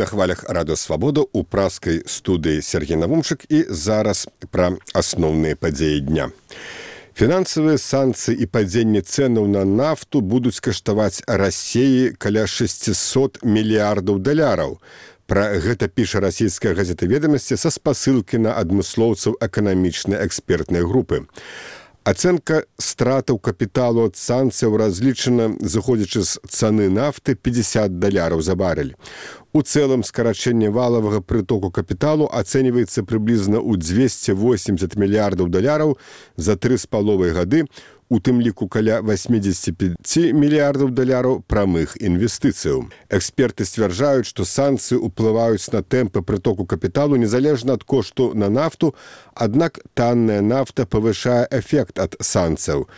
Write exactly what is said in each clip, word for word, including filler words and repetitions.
на хвалях Радио Свабода у праскай студыі Сергей Навумчык і зараз пра асноўныя падзеі дня. Фінансавыя санкцыі і падзенне цэнаў на нафту будуць каштаваць Расіі каля шестьсот мільярдаў даляраў. Пра гэта піша расійская газета «Ведомасці» са спасылкі на адмыслоўцаў эканамічнай экспертнай групы. Ацэнка стратаў капіталу ад санкцыяў разлічана, зыходзячы з цаны нафты, пятьдесят даляраў за барель. У цэлым скарачэнне валавага прытоку капіталу ацэньваецца прыблізна ў двести восемьдесят мільярдаў даляраў за тры з паловай гады, у тым ліку каля восемьдесят пять мільярдаў даляраў прамых інвестыцыяў. Эксперты сцвярджаюць, што санкцыі ўплываюць на тэмпы прытоку капіталу незалежна ад кошту на нафту, аднак танная нафта павышае эфект ад санкцыяў.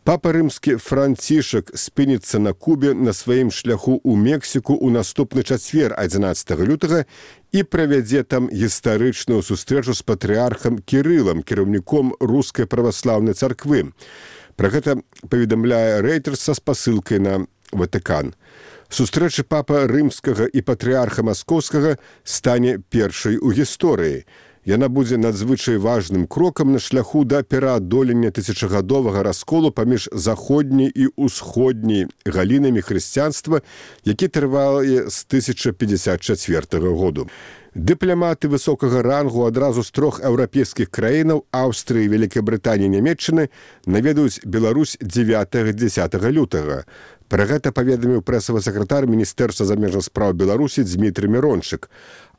Папа рымскі Францішак спыніцца на Кубе на сваім шляху ў Мексіку ў наступны чацвер адзінаццатага лютага і правядзе там гістарычную сустрэчу з патрыархам Кірылам, кіраўніком рускай праваслаўнай царквы. Пра гэта паведамляе Рэйтерс са спасылкай на Ватыкан. Сустрэча папа рымскага і патрыарха маскоўскага стане першай у гісторыі. Яна будзе надзвычай важным крокам на шляху да пераадолення тысячагадовага расколу паміж заходняй і усходняй галінамі хрысціянства, які трывае з тысяча пятьдесят четвёртага году. Дыпламаты высокага рангу адразу з трох еўрапейскіх краінаў Аўстрыі, Вялікай Брытаніі і Нямецчыны наведаюць Беларусь дзевятага-дзесятага лютага. Пра гэта паведаміў прэсавы сакратар Міністэрства замежных спраў Беларусі Дзмітрый Мірончык.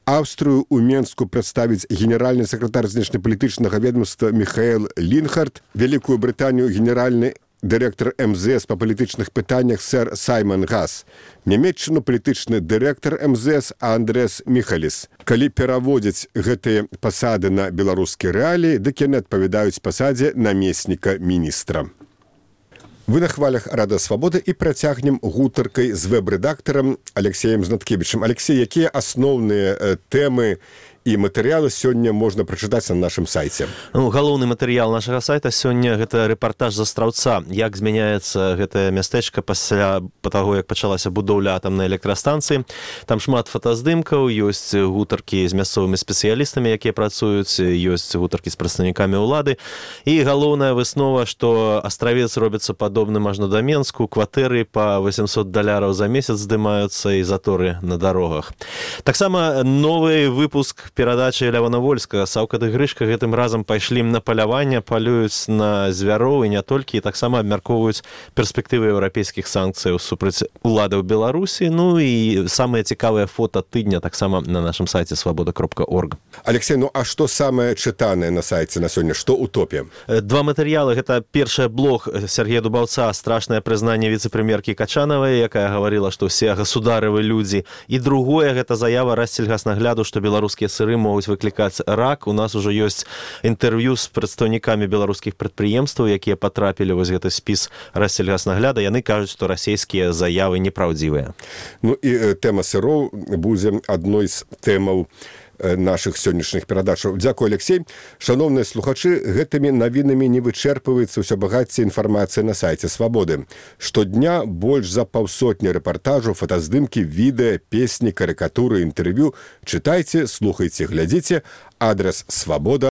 Аўстрыю ў Менску прадставіць генеральны сакратар знешнепалітычнага ведомства Міхаэл Лінхард, Вялікую Брытанію генеральны дырэктар эм зэ эс па палітычных пытаннях сэр Саймон Гас, Нямецчыну палітычны дырэктар эм зэ эс Андрэс Міхаліс. Калі пераводзяць гэтыя пасады на беларускія рэаліі, дык яны адпавядаюць пасадзе намесніка міністра. Вы на хвалях Радио Свабода і працягнем гутаркай з вэб-рэдактарам Алексеем Знаткевічым. Алексей, якія асноўныя тэмы і матэрыялы сёння можна прачытаць на нашым сайце? Ну, галоўны матэрыял нашага сайта сёння гэта рэпартаж з Астраўца, як змяняецца гэтае мястэчка пасля таго, як пачалася будоўля атамнай электрастанцыі. Там шмат фотаздымкаў, ёсць гутаркі з мясцовымі спецыялістамі, якія працуюць, ёсць гутаркі з прадстаўнікамі ўлады. І галоўная выснова, што астравец робіцца падобным аж на да Менску, кватэры па восемьсот даляраў за месяц здымаюцца і заторы на дарогах. Таксама новы выпуск перадачы Лявона Вольскага «Саўка ды Грышка» гэтым разам пайшлі на паляванне, палююць на звяроў і не толькі, і таксама абмяркоўваюць перспектывы еўрапейскіх санкцыяў супраць уладаў Беларусі. Ну і самыя цікавыя фота тыдня таксама на нашым сайце свабода кропка орг. Алексей, ну а што самае чытанае на сайце на сёння? Што ў топе? Два матэрыялы. Гэта першы блог Сергея Дубаўца «Страшнае прызнанне віцэ-прэм'еркі Качанавай», якая гаварыла, што ўсе государывы людзі. І другое, гэта заява Рассельгаснагляду, што беларускія сыры могуць выклікаць рак. У нас ужо ёсць інтэрв'ю з прадстаўнікамі беларускіх прадпрыемстваў, якія патрапілі вось гэты спіс Рассельгаснагляда. Яны кажуць, што расійскія заявы непраўдзівыя. Ну і тэма сыроў будзе адной з тэмаў нашых сённяшніх перадачаў. Дзякуй, Алексей. Шановныя слухачы, гэтымі навінамі не вычэрпваецца ўсё багацце інфармацыі на сайце Свабоды. Штодня больш за паўсотні рэпартажаў, фотаздымкі, відэа, песні, карыкатуры, інтэрв'ю. Чытайце, слухайце, глядзіце. Адрес свабода